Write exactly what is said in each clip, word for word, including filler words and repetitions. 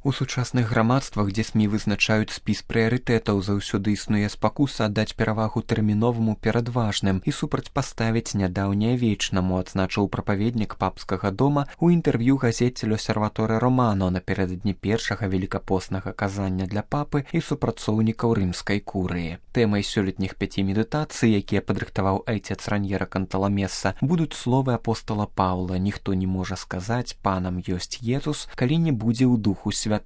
У сучасных грамадствах, дзе СМІ вызначаюць спіс прыярытэтаў, заўсёды існуе спакуса аддаць перавагу тэрміноваму перад важным і супрацьпаставіць нядаўняе вечнаму, адзначыў прапаведнік папскага дома у інтэрв'ю газеце «L'Osservatore Romano» напярэдадні першага велікапоснага казання для папы і супрацоўнікаў рымскай курыі. Тэмай сёлетніх пяці медытацый, якія падрыхтаваў айцец Раньера Канталамеса, будуць словы апостола Паўла: «Ніхто не можа сказаць, панам ёсць Езус, калі не будзе ў духу святым».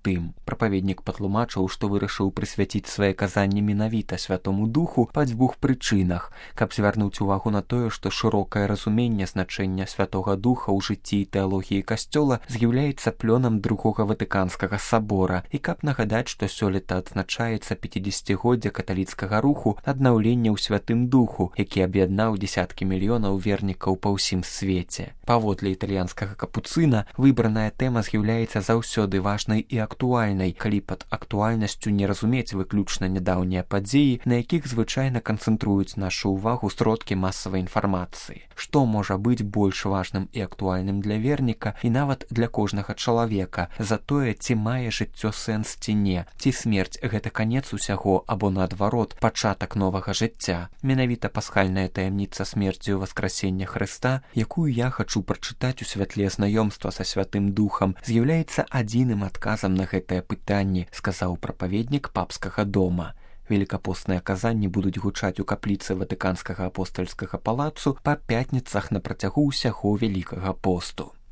Прапаведнік патлумачыў, што вырашыў прысвяціць свае казанні менавіта Святому Духу па дзвюх прычынах, каб звярнуць увагу на тое, што шырокае разуменне значэння Святога Духа ў жыцці і тэалогіі Касцёла з'яўляецца плёнам другога Ватыканскага сабора, і каб нагадаць, што сёлета адзначаецца пяцідзесяцігоддзе каталіцкага руху аднаўлення ў Святым Духу, які аб'яднаў дзесяткі мільёнаў вернікаў па ўсім свеце. Паводле італьянскага капуцына, выбраная тэма з'яўляецца заўсёды важнай і актуальнай, калі пад актуальнасцю не разумець выключна нядаўнія падзеі, на якіх звычайна канцэнтруюць нашу ўвагу сродкі масавай інфармацыі. Што можа быць больш важным і актуальным для верніка і нават для кожнага чалавека, за тое, ці мае жыццё сэнс ці не, ці смерць гэта канец усяго або, наадварот, пачатак новага жыцця. Менавіта пасхальная таямніца смерці ў васкрасення Хрыста, якую я хачу прачытаць у святле знаёмства са Святым Духам, з'яўляецца адзіным адказам на гэтае пытанне, сказаў прапаведнік папскага дома. Велікапосныя казанні будуць гучаць у капліцы Ватыканскага апостальскага палацу па пятніцах на працягу ўсяго Вялікага посту.